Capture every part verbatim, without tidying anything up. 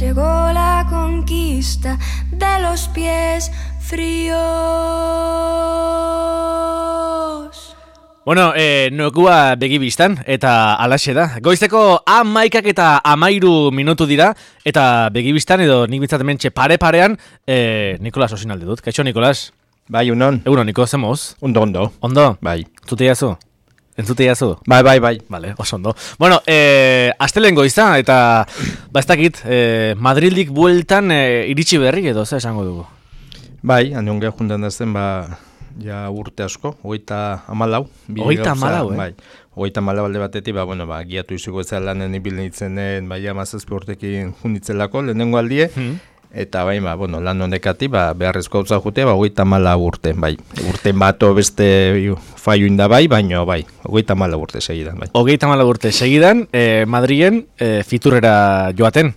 llegó la conquista de los pies fríos. Bueno, eh, nokua begibistan, eta alaxe da. Goizeko amaikak eta amairu minutu dira, eta begibistan edo nik bintzat hementxe pare-parean, eh, Nikolas osinalde dut. Kaixo, Nikolas? Bai, unon. Egunon, Niko, zemoz? Ondo, ondo. Ondo? Bai. Zute jazu? Entzute jazu? Bai, bai, bai. Vale, oso ondo. Bueno, eh, astelen goiza, eta ba ez dakit, eh, Madrildik bueltan eh, iritsi berri edo, ze esango dugu? Bai, handiongea juntan da zen, ba, ja urte asko, hogeita hamalau. Hogeita hamalau, eh? Bai, hogeita hamalau alde batetik, ba, bueno, ba, giatu iziko ez lanen ibil nintzenen, bai, amazazpi urtekin junditzelako, lehenengo aldie, hmm. Eta bai, ba, bueno, lan honekati, ba, beharrezko hau jutea, ba, hogeita hamalau urte, bai. Urte bato beste faioin da bai, baino, bai, hogeita hamalau urte segidan, bai. Hogeita hamalau urte segidan, eh, Madrilen eh, fiturrera joaten.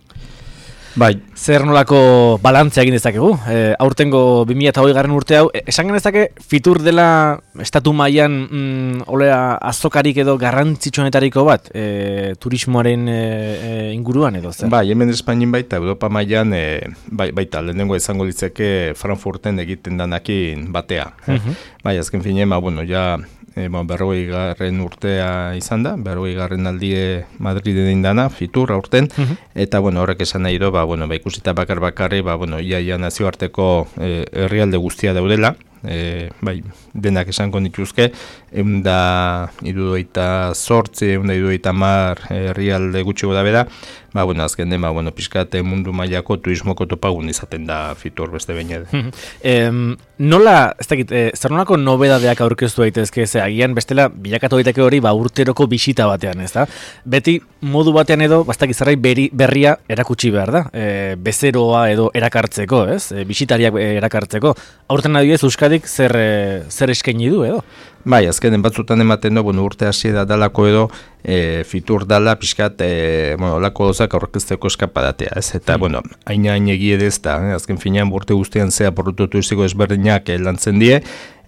Bai. Zer nolako balantzea egin dezakegu? E, aurtengo bi mila hogei garren urte hau, e, esan genezake fitur dela estatu mailan mm, olea azokarik edo garrantzitsuenetariko bat, e, turismoaren e, e, inguruan edo zer? Bai, hemen Espainin baita, Europa mailan e, bai, baita, lehenengo izango litzeke Frankfurten egiten danakin batea. Uh-huh. Bai, azken finean, ba, bueno, ja... E, bon, berrogei garren urtea izan da, berrogei garren aldie Madriden indana, fitur aurten, uh-huh. Eta bueno, horrek esan nahi do, ba, bueno, ba, ikusita bakar bakarri, ba, bueno, ia, ia nazioarteko e, herrialde guztia daudela, e, bai, denak esango nituzke, egun da irudoita sortzi, egun da irudoita mar herrialde gutxiko da beda, ba, bueno, azken den, ba, bueno, pixkate mundu mailako turismoko topagun izaten da fitur beste behin edo. em, nola, ez dakit, e, zer nolako nobedadeak aurkeztu daitezke, ze agian bestela bilakatu daiteke hori ba urteroko bisita batean, ez da? Beti modu batean edo, ba, ez dakit zerbait berri, berria erakutsi behar da, e, bezeroa edo erakartzeko, ez? E, bisitariak erakartzeko. Aurten adibidez Euskadik zer, e, zer eskaini du edo? Bai, azkenen batzutan ematen du, bueno, urte hasiera dalako edo, e, fitur dala, pixkat, e, bueno, olako dozak aurkezteko eskapadatea, ez? Eta, mm. bueno, haina hain egie ez da, eh? Azken finean, urte guztian zea produktu turistiko ezberdinak eh, lantzen die,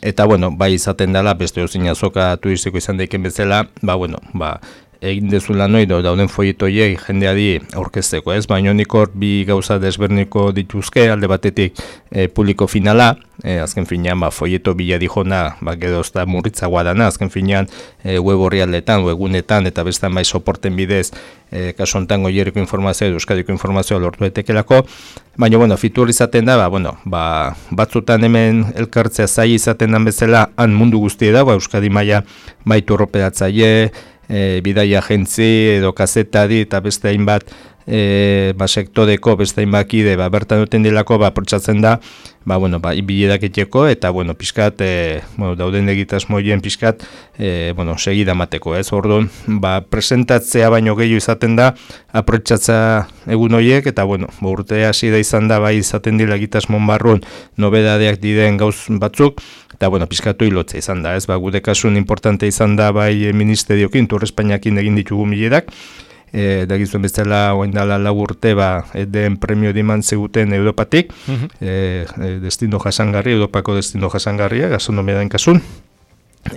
eta, bueno, bai izaten dela, beste ozin azoka turistiko izan daiken bezala, ba, bueno, ba, egin dezula noi dauden foietoiek jendeadi aurkezteko, ez? Baina nik hor bi gauza desberdineko dituzke, alde batetik e, publiko finala, e, azken finean ba, foieto bila dijona, ba, gero ez da murritzagoa dana, azken finean e, web horrialdetan, webunetan, eta bestan bai soporten bidez, e, kaso hontan goieriko informazioa, euskadiko informazioa lortu etekelako, baina, bueno, fitur izaten da, ba, bueno, ba, batzutan hemen elkartzea zai izaten dan bezala, han mundu guztie da, ba, Euskadi maila baitu horropedatzaile, E, bidaia agentzi edo kazetari eta beste hainbat e, ba, sektoreko beste hainbat kide ba, bertan duten dilako ba, protsatzen da ba, bueno, ba, biledak etxeko eta bueno, pixkat e, bueno, dauden egitasmoien pixkat e, bueno, segida mateko, ez? Orduan, ba, presentatzea baino gehiago izaten da aprotxatza egun horiek eta bueno, ba, urte hasi da izan da bai izaten dila egitasmon barrun nobedadeak diden gauz batzuk eta bueno, pizkatu hilotza izan da, ez? Ba, gude kasun importante izan da bai ministeriokin, Tur Espainiakin egin ditugu miledak, e, da gizuen bezala oindala lau urte, ba, den premio diman zeguten Europatik, uh-huh. e, destino jasangarri, Europako destino jasangarria, gastronomiaren kasun.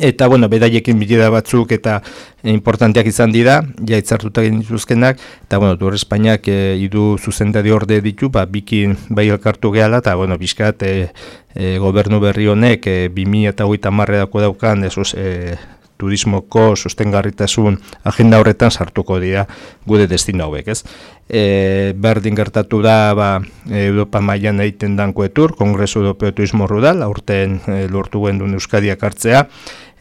Eta, bueno, bedaiekin bileda batzuk eta e, importanteak izan dira, ja itzartutak egin dituzkenak, eta, bueno, Tur Espainiak e, idu zuzendari orde ditu, ba, bikin bai elkartu gehala, eta, bueno, bizkat, e, e, gobernu berri honek, e, bi mila hogeita hamarredako daukan, esos, e, turismoko sostengarritasun agenda horretan sartuko dira gude destino hauek, ez? E, berdin gertatu da, ba, Europa mailan egiten danko etur, Kongresu Europeo Turismo Rural, aurten e, lortu gendun Euskadiak hartzea,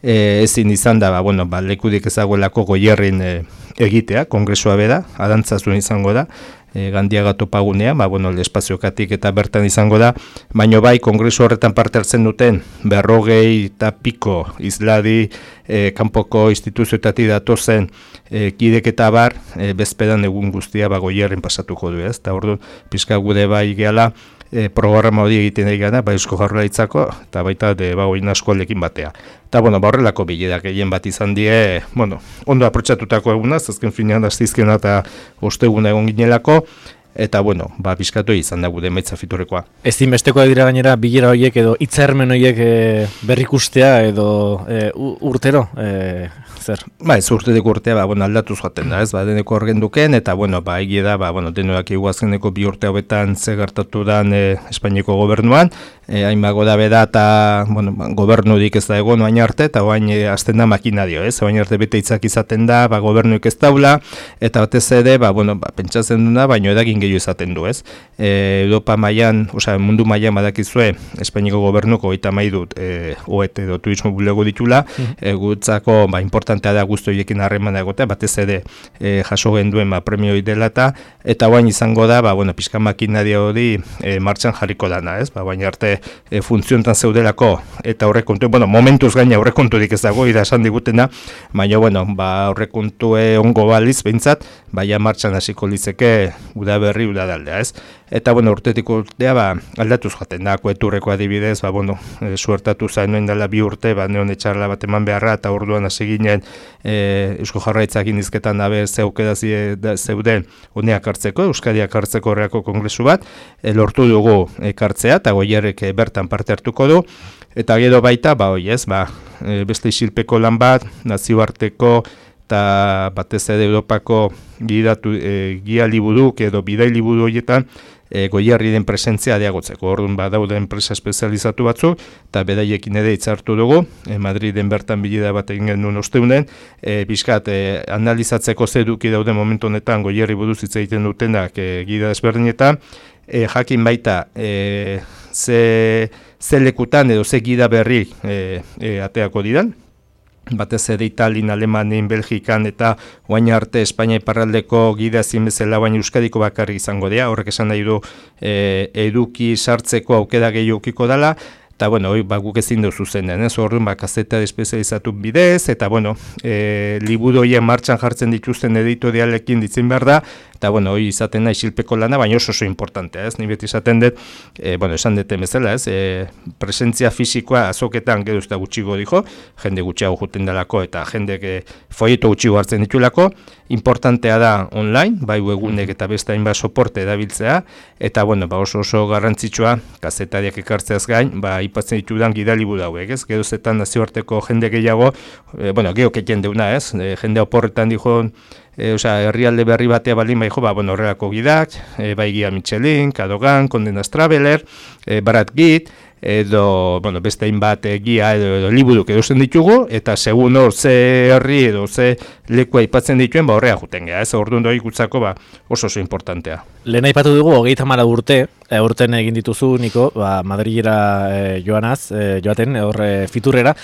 e, ezin izan da, ba, bueno, ba, lekudik ezagoelako goierrin e, egitea, kongresua beda, adantzazun izango da, e, Gandiaga topagunea, ba, bueno, espaziokatik eta bertan izango da, baino bai, kongresu horretan parte hartzen duten, berrogei eta piko izladi, e, kanpoko instituzioetatik datozen e, kidek eta bar, e, bezpedan egun guztia ba, goierrin pasatuko du, ez? Eta ordu, pizka gude bai gehala, e, programa hori egiten ari gana, ba, Eusko Jaurlaritzako, eta baita de ba, oin askolekin batea. Eta, bueno, ba, horrelako bilerak egin bat izan die, bueno, ondo aprotxatutako egunaz, azken finean astizkena eta osteguna egon ginelako, eta, bueno, ba, bizkatu izan da gude emaitza fiturrekoa. Ezinbestekoa dira gainera bilera horiek edo hitzarmen horiek e, berrikustea edo e, urtero, e, zer? Ba, ez urtetik urtea, ba, bueno, aldatuz joaten da, ez, ba, deneko horgen duken, eta, bueno, ba, egia da, ba, bueno, denoak iguazkeneko bi urte hauetan ze gertatu dan e, Espainiako gobernuan, e, hain bago da beda, eta, bueno, ba, gobernudik ez da egon oain arte, eta oain e, azten da makinario, ez, oain arte bete hitzak izaten da, ba, gobernuik ez daula, eta batez ere, ba, bueno, ba, pentsatzen duna, baino edagin gehiago izaten du, ez. E, Europa mailan, osea, mundu mailan badakizue, Espainiako gobernuko hogeita hamairu dut, e, oet edo turismo bulego ditula, mm-hmm. e, gutzako, ba, importantea da guzti horiekin harremana egotea, batez ere e, jaso genduen ba, premioi dela eta eta bain izango da, ba, bueno, pixka makinaria hori e, martxan jarriko dana, ez? Ba, baina arte e, funtziontan zeudelako eta aurrekontu, bueno, momentuz gaina aurrekonturik ez dago, ira esan digutena, baina, bueno, ba, aurrekontue ongo baliz, behintzat, baina martxan hasiko litzeke udaberri udadaldea, ez? Eta, bueno, urtetik urtea, ba, aldatuz jaten da, koeturreko adibidez, ba, bueno, e, suertatu zainoen dela bi urte, ba, neon etxarla bat eman beharra, eta orduan hasi ginen e, Eusko Jarraitzak indizketan dabe zeukeda zeuden honeak hartzeko, Euskadiak hartzeko horreako kongresu bat, e, lortu dugu ekartzea, eta goierrek e, bertan parte hartuko du, eta gero baita, ba, oi ez, ba, e, beste isilpeko lan bat, nazioarteko, eta batez ere Europako gidatu, e, gia liburuk edo bidai liburu horietan e, goierri den presentzia areagotzeko. Orduan badaude enpresa espezializatu batzuk, eta beraiekin ere hitzartu dugu, e, Madriden bertan bilida bat egin genuen osteunen, e, bizkat e, analizatzeko zeduki daude momentu honetan goierri buruz hitz egiten dutenak e, gida desberdinetan, e, jakin baita e, ze, ze lekutan edo ze gida berri e, e, ateako didan, batez ere Italin, Alemanin, Belgikan eta oain arte Espainia iparraldeko gida ezin bezala baina Euskadiko bakarrik izango dira, horrek esan nahi du e, eduki sartzeko aukera gehiago ukiko dela, eta, bueno, hoi, ba, guk ezin duzu zenden, ez, orduan, ba, kazeta espezializatu bidez, eta, bueno, e, liburu horien martxan jartzen dituzten editorialekin ditzen behar da, eta, bueno, hoi izaten nahi isilpeko lana, baina oso oso importantea, ez, ni beti izaten dut, e, bueno, esan duten bezala, ez, e, presentzia fisikoa azoketan gero ez da gutxigo dijo, jende gutxiago juten delako, eta jende e, folieto gutxigo hartzen ditulako, importantea da online, bai webgunek eta beste hainbat soporte edabiltzea, eta, bueno, ba, oso oso garrantzitsua, kazetariak ekartzeaz gain, ba, ipatzen ditudan gidalibu dauek, ez, gero zetan nazioarteko jende gehiago, e, bueno, gero kekien deuna, ez, e, jende oporretan dijo, E, osea, herrialde berri batea baldin bai jo, ba, bueno, horrelako gidak, e, bai Gia Michelin, Cadogan, Condenas Traveler, e, Barat Git, edo, bueno, beste hainbat e, gia edo, edo liburuk edozen ditugu, eta segun hor ze herri edo ze lekua aipatzen dituen, ba, horrea juten geha, ez, orduan doi gutzako, ba, oso oso importantea. Lehen aipatu dugu, hogeita hamar urte, e, urten egin dituzu, Niko, ba, Madrilera e, joanaz, e, joaten, hor e, fiturrera,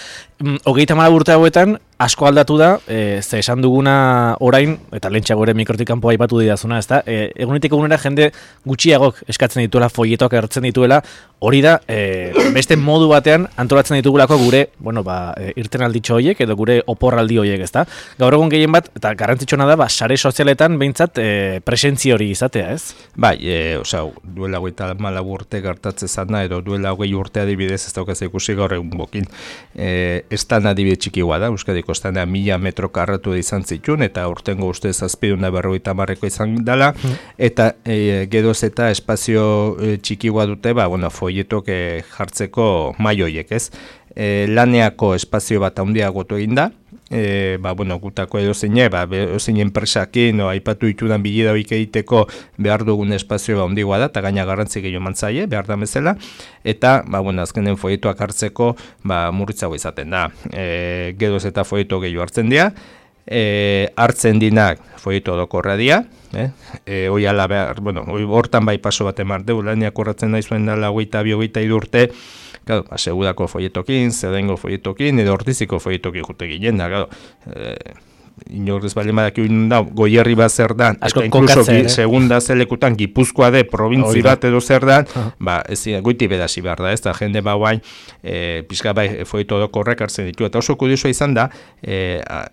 hogeita hamar urte hauetan, asko aldatu da, e, ze esan duguna orain, eta lehentxago ere mikrotik kanpoa aipatu didazuna, ezta? E, egunetik egunera jende gutxiagok eskatzen dituela, foietoak hartzen dituela, hori da, e, beste modu batean antolatzen ditugulako gure, bueno, ba, e, irten alditxo horiek, edo gure oporraldi horiek, ezta? Gaur egun gehien bat, eta garrantzitsuna da, ba, sare sozialetan behintzat e, presentzi hori izatea, ez? Bai, e, osea, duela hogeita hamalau urte gertatzen zana, edo duela hogei urte adibidez, ez daukaz ikusi gaur egun bokin, e, estan adibide txikiua da, Euskadiko estana mila metro karratu da izan zituen, eta urtengo uste zazpiduna berrogeita hamarreko izan dela, mm. eta e, geroz eta espazio e, txikiua dute, ba, bueno, foietok e, jartzeko maioiek, ez? E, laneako espazio bat handiagotu egin da, e, ba, bueno, gutako edo zeine, ba, edo zein enpresakin, no, aipatu ditudan bilida hoik egiteko behar dugun espazio ba, handiagoa da, eta gaina garrantzi gehiago mantzaie, behar da bezala, eta, ba, bueno, azkenen foietoak hartzeko, ba, murritzago izaten da. E, geroz eta foieto gehiago hartzen dira, e, hartzen dinak foieto dokorra dira, eh? E, hoi ala behar, bueno, hoi hortan bai paso bat emar deu, laniak horretzen nahi zuen dala hogeita bi hogeita hiru urte, claro, asegurako foietokin, zedengo foietokin, edo ortiziko foietokin jute ginen, da, claro, e, inorrez bale madak egin da, goierri bat zer dan, asko eta inkluso eh? segunda zelekutan Gipuzkoa de provintzi bat edo zer dan, uh -huh. ba, ez goiti bedasi behar da, ez da, jende ba guain, e, pixka bai foieto dokorrek hartzen ditu, eta oso kuriosua izan da, e, a,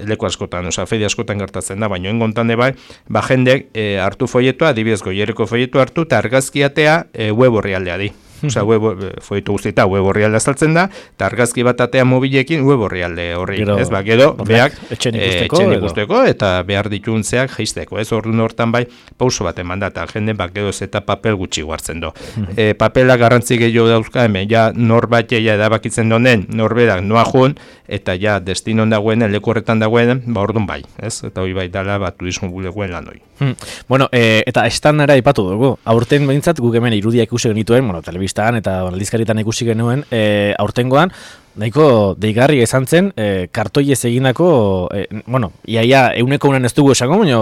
leku askotan, oza, feria askotan gertatzen da, baina engontan de bai, ba, jende e, hartu foietoa, adibidez goierriko foieto hartu, eta argazkiatea e, web horri aldea di. Osea, web, foietu guztieta web orrialde azaltzen da, eta argazki bat atea mobilekin web orrialde horri, Gero, ez? Ba, gero, beak, etxen eh, ikusteko, etxen edo. ikusteko, eta behar dituntzeak jeisteko, ez? Orduan hortan bai, pauso bat eman da, eta jende, ba, gero ez eta papel gutxi guartzen do. E, papela garrantzi gehiago dauzka, hemen, ja, norbait ja edabakitzen donen, norberak noa jun, eta ja, destinon dagoen, leku horretan dagoen, ba, orduan bai, ez? Eta hori bai dala, ba, turismo bulegoen lan hoi. Hmm. Bueno, e, eta estandara ipatu dugu. Aurten behintzat guk hemen irudiak ikusi genituen, bueno, telebistan eta aldizkaritan ikusi genuen, e, aurtengoan, nahiko deigarri izan zen, e, kartoiez egindako, e, bueno, iaia euneko unan ez dugu esango, baina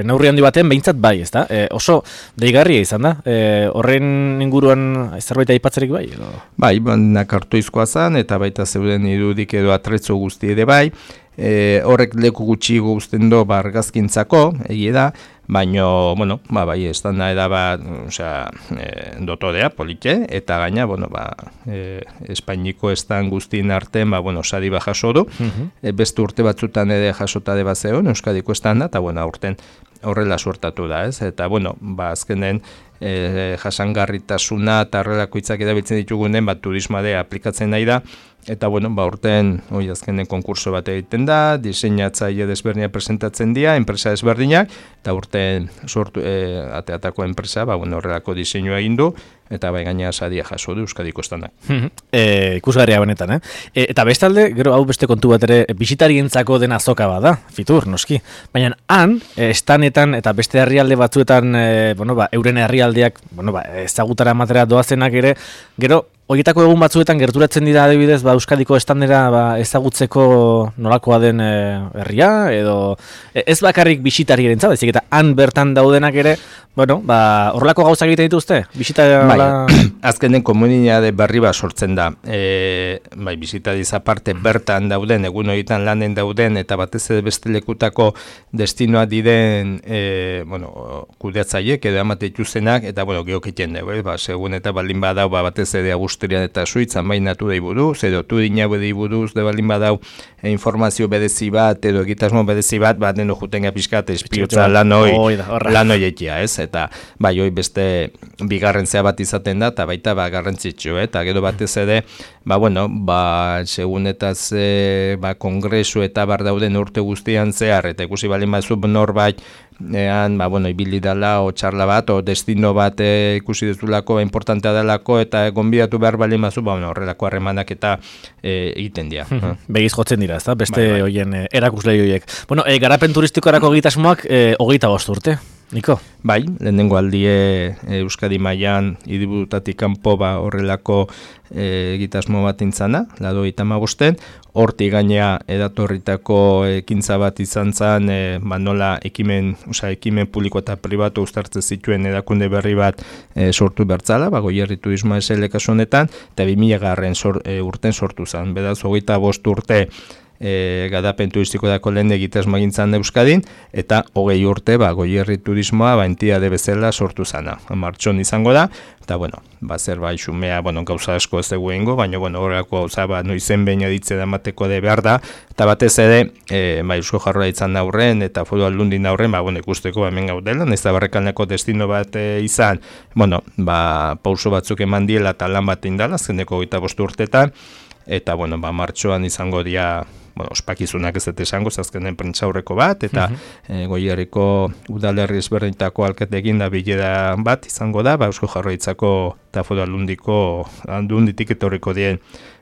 neurri handi baten behintzat bai, ezta? E, oso deigarria izan da, e, horren inguruan zerbait aipatzerik bai? Edo? Bai, baina kartoizkoa zen, eta baita zeuden irudik edo atretzo guzti ere bai, e, horrek leku gutxi guztien do bargazkintzako, egie da, baino, bueno, ba, bai, estanda eda bat, osea, e, dotodea, polite, eta gaina, bueno, ba, e, Espainiko estan guztien artean, ba, bueno, sari ba jaso du, uh-huh. e, beste urte batzutan ere jasota de bat zeon, Euskadiko estanda, eta, bueno, aurten horrela suertatu da, ez? Eta, bueno, ba, azkenen, e, jasangarritasuna eta horrelako hitzak erabiltzen ditugunen, ba, turismoa aplikatzen nahi da, eta, bueno, ba, urten, hoi azkenen konkurso bat egiten da, diseinatzaile desberdinak presentatzen dira, enpresa desberdinak, eta urten sortu, e, ateatako enpresa, ba, bueno, horrelako diseinua egin du, eta bai gaina saria jaso du Euskadiko estanak. e, ikusgarria benetan, eh? E, eta bestalde, gero hau beste kontu bat ere, bisitarientzako den azoka bada, Fitur, noski. Baina han, e, estanetan eta beste herrialde batzuetan, e, bueno, ba, euren herrialdeak, bueno, ba, ezagutara ematera doazenak ere, gero, horietako egun batzuetan gerturatzen dira adibidez, ba, Euskadiko estandera ba, ezagutzeko nolakoa den e, herria, edo e, ez bakarrik bisitariaren zaba, ezik eta han bertan daudenak ere, bueno, ba, horrelako gauzak egiten dituzte? Bisita bai, azkenen komunitate berri bat sortzen da. E, bai, bisitariz aparte bertan dauden, egun horietan lanen dauden, eta batez ere beste lekutako destinoa diren, e, bueno, kudeatzaiek edo amate ituzenak, eta, bueno, geokiten dugu, ba, segun eta baldin badau, ba, batez ere Austrian eta Suitzan baina naturei buruz, edo turina bedei buruz, de baldin badau e, informazio berezi bat, edo egitasmo berezi bat, bat deno jutenga pixkat, espiotza lanoi, lanoi etia, ez? Eta bai, hoi beste bigarren zea bat izaten da, eta baita ba, garrantzitsu, eta gero batez ere, ba, bueno, ba, segun eta ze, ba, kongresu eta bar dauden urte guztian zehar, eta ikusi balin batzuk norbait, ean, ba, bueno, ibili dela, o txarla bat, o destino bat e, ikusi dezulako, importantea delako, eta gonbidatu behar balin batzuk, ba, bueno, horrelako harremanak eta e, egiten dira. Begiz jotzen dira, ezta? Beste bai, bai. hoien e, erakuslei horiek. Bueno, e, garapen turistikorako egitasmoak e, hogeita bost urte. Niko? Bai, lehenengo aldie e, Euskadi mailan hiriburutatik kanpo ba horrelako e, egitasmo bat intzana, lado itamagosten, hortik gainea edatorritako ekintza bat izan zen, e, ba nola ekimen, osea, ekimen publiko eta pribatu uztartzen zituen erakunde berri bat e, sortu bertzala, ba Goierri Turismo S L kasu honetan, eta bi mila garren sor, e, urten sortu zen, beraz hogeita bost urte E, garapen turistiko dako lehen egitasmo egintzan Euskadin, eta hogei urte ba, Goierri Turismoa ba, entitate bezala sortu zana. Martxon izango da, eta bueno, ba, zer bai xumea, bueno, gauza asko ez dugu ingo, baina bueno, horrelako gauza ba, noizen behin editze da mateko de behar da, eta batez ere, e, ba, Eusko Jaurlaritzan aurren eta Foru Aldundin aurren, ba, bueno, ikusteko ba, hemen gaudela, nahiz da barrekalneko destino bat e, izan, bueno, ba, pauso batzuk eman diela eta lan bat indala, azkeneko hogeita bost urtetan, eta bueno, ba, martxoan izango dira, bueno, ospakizunak ez dut esango, azkenen prentsaurreko bat, eta uh -huh. e, Goierriko udalerri ezberdinetako alkateekin da bilera bat izango da, ba, Eusko Jaurlaritzako eta Foru Aldundiko aldunditik etorriko dien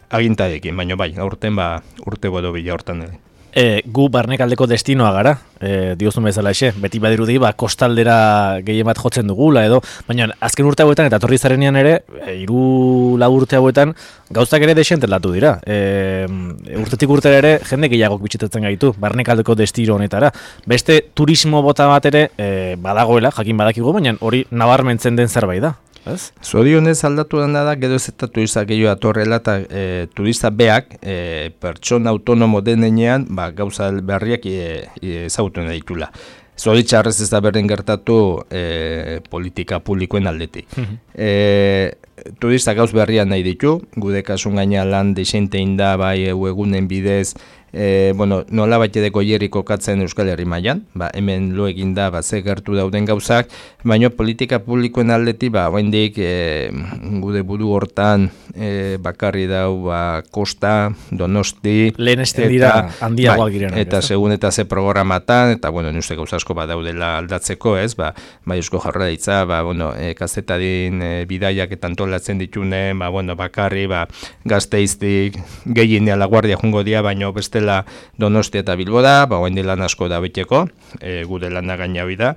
agintarekin, baina bai, aurten ba, urte bodo bila hortan ere. E, gu barnekaldeko destinoa gara, e, diozun bezala ese, beti badirudi, ba, kostaldera gehien bat jotzen dugula edo, baina azken urte hauetan eta torri zarenean ere, e, iru lau urte hauetan, gauztak ere desentelatu dira. E, urtetik urtera ere, jende gehiagok bitxitatzen gaitu, barnekaldeko destino honetara. Beste turismo bota bat ere, e, badagoela, jakin badakigu, baina hori nabarmentzen den zerbait da. Zorionez aldatu dena da, gero ez eta turista gehiago atorrela eta e, turista beak e, pertsona autonomo denean ba, gauza berriak ezagutu nahi ditula. Zoritxarrez ez da berdin gertatu e, politika publikoen aldetik. e, turista gauz berriak nahi ditu, gude kasun gaina lan desentein da bai egunen bidez e, bueno, nola bat ere goierik kokatzen Euskal Herri mailan, ba, hemen lo egin da, ba, ze gertu dauden gauzak, baina politika publikoen aldetik, ba, oraindik e, gude buru hortan e, bakarri dau, ba, Kosta, Donosti, lehen esten dira handiagoak girenak. Eta segun eta ze programatan, eta, bueno, uste gauza asko ba daudela aldatzeko, ez, ba, bai Eusko Jaurlaritza, ba, bueno, e, kazetadin e, bidaiak eta antolatzen ditune, ba, bueno, bakarri, ba, Gasteiztik gehien La Guardia jungo dia, baino bestela Donostia eta Bilbo da, ba, orain lan asko da beteko, e, gure lana gaina hori da.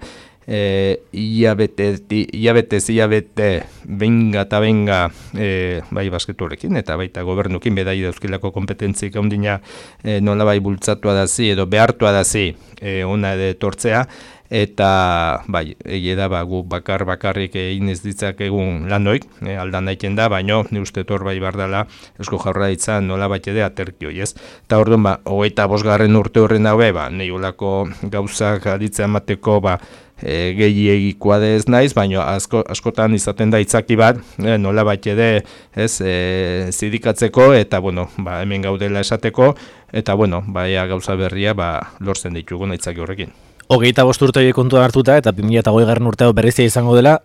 E, iabete, iabete, iabete, benga eta benga, e, bai basketurekin eta baita gobernukin bedai dauzkilako kompetentzik handina e, nola bai bultzatua dazi edo behartua dazi e, ona edo tortzea, eta bai, egia da ba, gu bakar bakarrik egin ez ditzak egun lanoik, e, aldan daiten da, baino ni uste tor bai bardala Eusko Jaurlaritza nola bat ere aterkioi, ez? Eta orduan, ba, hogeita bosgarren urte horren daue, ba, nehiolako gauzak aditzea emateko, ba, e, gehiagikoa ez naiz, baina asko, askotan izaten da itzaki bat, e, nola bat ere, ez, e, zidikatzeko, eta, bueno, ba, hemen gaudela esateko, eta, bueno, baia gauza berria, ba, lortzen ditugu itzaki horrekin. Hogeita bost urte horiek kontuan hartuta eta bi mila hogeigarren urtea berezia izango dela,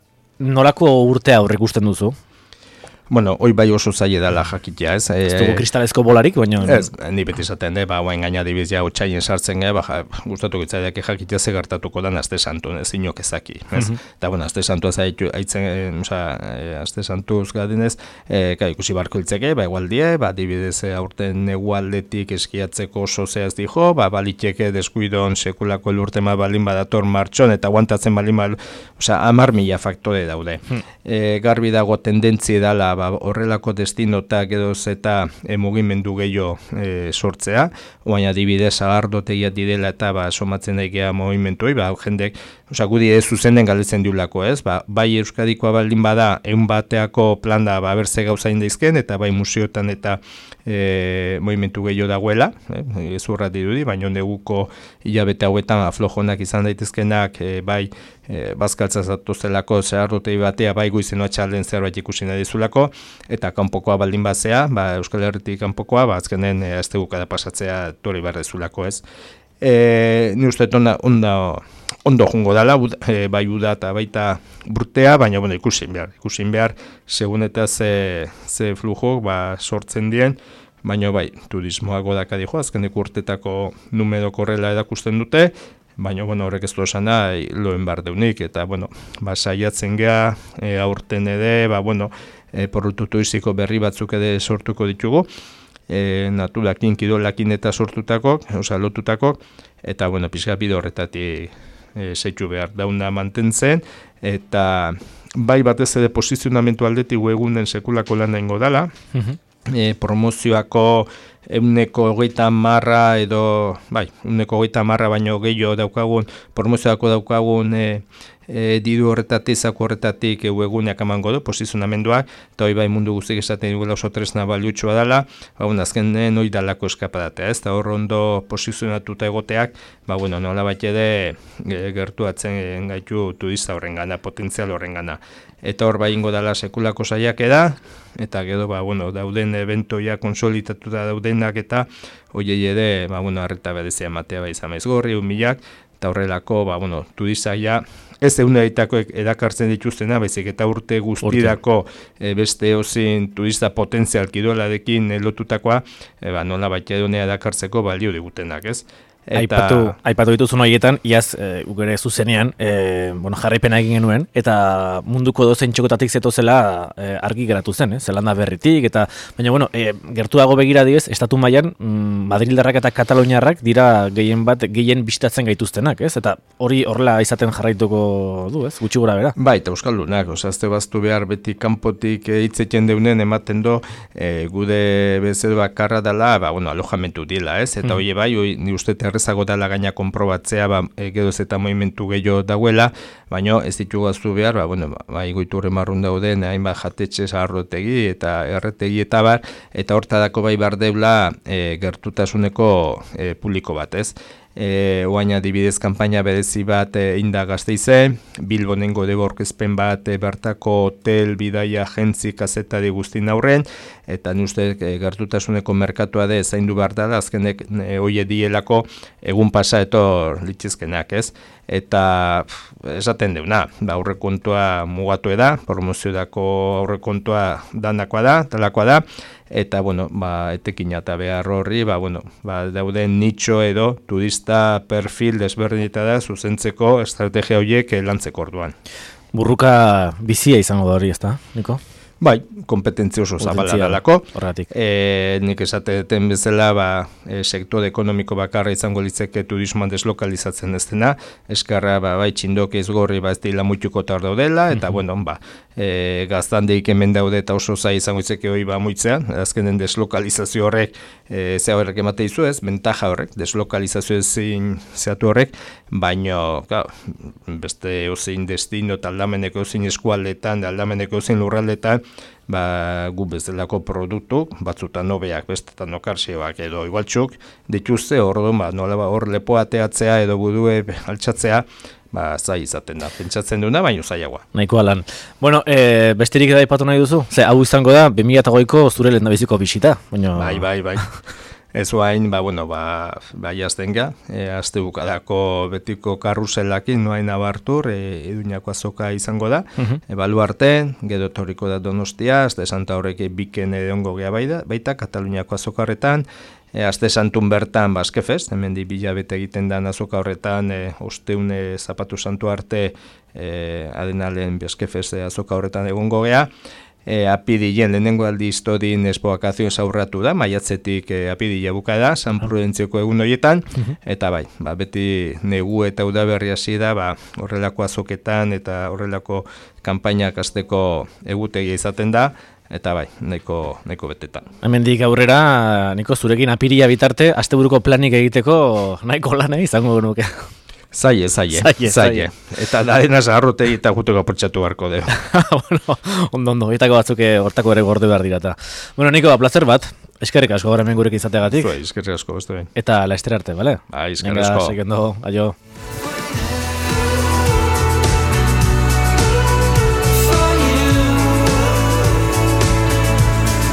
nolako urtea aurre ikusten duzu? Bueno, hoi bai oso zaila dela jakitea, ez? Ez dugu kristalezko bolarik, baina... Ez, ni beti izaten de, ba, oain gaina dibizia otxaien sartzen ge, ba, ja, gustatu gitzaidak jakitea ze gertatuko dan Aste Santun, ez inok ezaki, ez? Mm -hmm. Eta, bueno, Aste Santua zaitu, haitzen, oza, Aste Santuz gadinez, e, ka, ikusi barko hiltzeke, ba, egualdie, ba, dibidez aurten egualdetik eskiatzeko oso zehaz dijo, ba, baliteke deskuidon sekulako elurtema balin badator martxon, eta guantatzen balin bal, oza, amar mila faktore daude. Mm. E, garbi dago tendentzi dala, ba, horrelako destinotak edo eta e, mugimendu gehiago e, sortzea, baina adibidez agardotegia direla eta ba, somatzen daikea mugimenduei, ba, jendek, oza, gudi ez zuzenden galetzen diulako, ez? Ba, bai Euskadikoa baldin bada, egun bateako plan da, ba, berze gauzain daizken, eta bai museotan eta e, mugimendu gehiago dagoela, eh? Ez urra dirudi, baina neguko hilabete hauetan aflojonak izan daitezkenak, e, bai, E, bazkaltza zatozelako zeharrotei batea bai goizeno atxalden zerbait ikusi nahi dizulako, eta kanpokoa baldin bazea, ba, Euskal Herritik kanpokoa, ba, azkenen e, aztegukada pasatzea tori bardezulako, ez. E, ni uste onda, onda, ondo jungo dala, e, bai uda eta baita burtea, baina bueno, ikusin behar, ikusin behar, segun eta ze, ze flujo ba, sortzen dien, baina bai, turismoago dakadijo, azkenek urtetako numero korrela edakusten dute, baina, bueno, horrek ez du esan da, loen bar deunik, eta, bueno, ba, saiatzen geha, e, aurten ere, ba, bueno, e, porrutu turiziko berri batzuk ere sortuko ditugu, e, naturakin, kirolakin eta sortutako, oza, lotutako, eta, bueno, pixka bide horretatik e, zeitu behar dauna mantentzen, eta bai batez ere posizionamentu aldetik egunen sekulako lan ingo dala, mm-hmm. E, promozioako euneko hogeita marra edo, bai, euneko hogeita marra baino gehiago daukagun, promozioako daukagun e, e, diru horretatik, zako horretatik eguneak emango du, posizionamenduak, eta hori bai mundu guztik esaten dugula oso tresna baliutxoa dela, ba, bueno, azkenen hori dalako eskapadatea, ez, eta hor ondo posizionatuta egoteak, ba, bueno, nola bat ere e, gertuatzen gaitu turista horren gana, potentzial horren gana. Eta hor ingo dela sekulako saiak eda, eta gero, ba, bueno, dauden eventoia konsolitatuta daudenak eta hoiei ere, ba, bueno, arreta berezia ematea bai zamaiz gorri, humilak, eta horrelako, ba, bueno, turistaia, ez eguneritako edakartzen dituztena, baizik eta urte guztirako e, beste ozin turista potentzial kirolarekin lotutakoa, e, ba, nola baita edonea edakartzeko balio digutenak, ez? Eta... Aipatu, aipatu dituzun horietan, iaz, e, ugere zuzenean, e, bueno, jarraipena egin genuen, eta munduko dozen txokotatik zetozela e, argi geratu zen, eh? Zelanda berritik, eta, baina, bueno, e, gertuago begira diez, estatu mailan mm, Madrildarrak eta Kataloniarrak dira gehien bat, gehien bisitatzen gaituztenak, ez? Eta hori horrela izaten jarraituko du, ez? Gutxi gora bera. Bai, eta euskaldunak, osazte baztu behar beti kanpotik hitzeken deunen ematen do, e, gude bezedo bakarra dela, ba, bueno, alojamentu dila, ez? Eta mm. hori bai, hori, ni uste errezago dela gaina konprobatzea, ba, geroz eta movimentu gehiago dagoela, baina ez ditugu aztu behar, ba, bueno, ba, igoiturre marrun dauden, hainbat jatetxe zaharrotegi eta erretegi eta bar, eta hortadako bai bar deula e, gertutasuneko e, publiko bat, ez? E, oain adibidez kanpaina berezi bat e, inda Gasteize, Bilbonengo debo orkezpen bat e, bertako hotel, bidaia, agentzi, kazetari guztin aurren, eta ni uste e, gertutasuneko merkatua de zaindu behar dela, azkenek e, hoie dielako egun pasa etor litzizkenak, ez? Eta pff, esaten deuna, ba, aurrekontua mugatu eda, promoziodako aurrekontua danakoa da, talakoa da, eta, bueno, ba, etekina eta behar horri, ba, bueno, ba, dauden nitxo edo turista perfil desberdineta da zuzentzeko estrategia horiek lantzeko orduan. Burruka bizia izango da hori, ezta, Niko? Bai, kompetentzia oso zabala dalako. Horratik. E, nik esateten bezala, ba, e, sektore ekonomiko bakarra izango litzeke turismoan deslokalizatzen ez dena, eskarra, ba, bai, txindok ez gorri, ba, ez dira muituko tar daudela, eta, mm-hmm. bueno, ba, e, gaztandeik hemen daude eta oso zai izango litzeke hori ba muitzean, azkenen deslokalizazio horrek, e, zea horrek emate izu ez, bentaja horrek, deslokalizazio ezin zeatu horrek, baino, ka, beste ozein destino eta aldameneko ozein eskualdetan, aldameneko ozein lurraldetan, ba, gu bezalako produktu, batzutan nobeak, bestetan okarsioak edo igualtxuk, dituzte hor, ba, nola ba, hor lepoa ateatzea edo gudue altxatzea, ba, zai izaten da, pentsatzen duna, baino zaiagoa. Nahikoa lan. Bueno, e, besterik eda ipatu nahi duzu? Ze, hau izango da, bi mila hogeiko zure lehendabiziko bisita. Baino... Bai, bai, bai. Ez hain, ba, bueno, ba, ba jazten ga, e, azte bukadako betiko karruselakin, noain abartur, e, Iruñako azoka izango da, uh-huh. e, baluarte, gero etorriko da Donostia, azte Santa horrek biken egongo gea baita, baita Kataluniako azoka horretan, e, azte Santun bertan Baskefest, hemen di bilabete egiten da azoka horretan, e, osteune Zapatu Santu arte, e, adenalen Baskefest azoka horretan egongo gea, E, apidillen lehenengo aldi historin espoakazioen zaurratu da, maiatzetik e, apidilla buka da, San Prudentzioko egun horietan, uh-huh. eta bai, ba, beti negu eta udaberri hasi da, ba, horrelako azoketan eta horrelako kanpainak hasteko egutegia izaten da, eta bai, nahiko, nahiko betetan. Hemendik aurrera, Niko, zurekin apirila bitarte, asteburuko planik egiteko nahiko lana izango genuke. Zaie, zaie, zaie, zaie. Eta darena zaharrote eta juteko apurtxatu barko deo. Bueno, ondo, ondo, egitako batzuk hortako ere gorde behar dirata. Bueno, Niko, placer bat, eskerrik asko gara hemen gurek izateagatik. Zue, eskerrik asko, beste behin. Eta la ester arte, bale? Bai, eskerrik asko. Venga, seguendo, aio.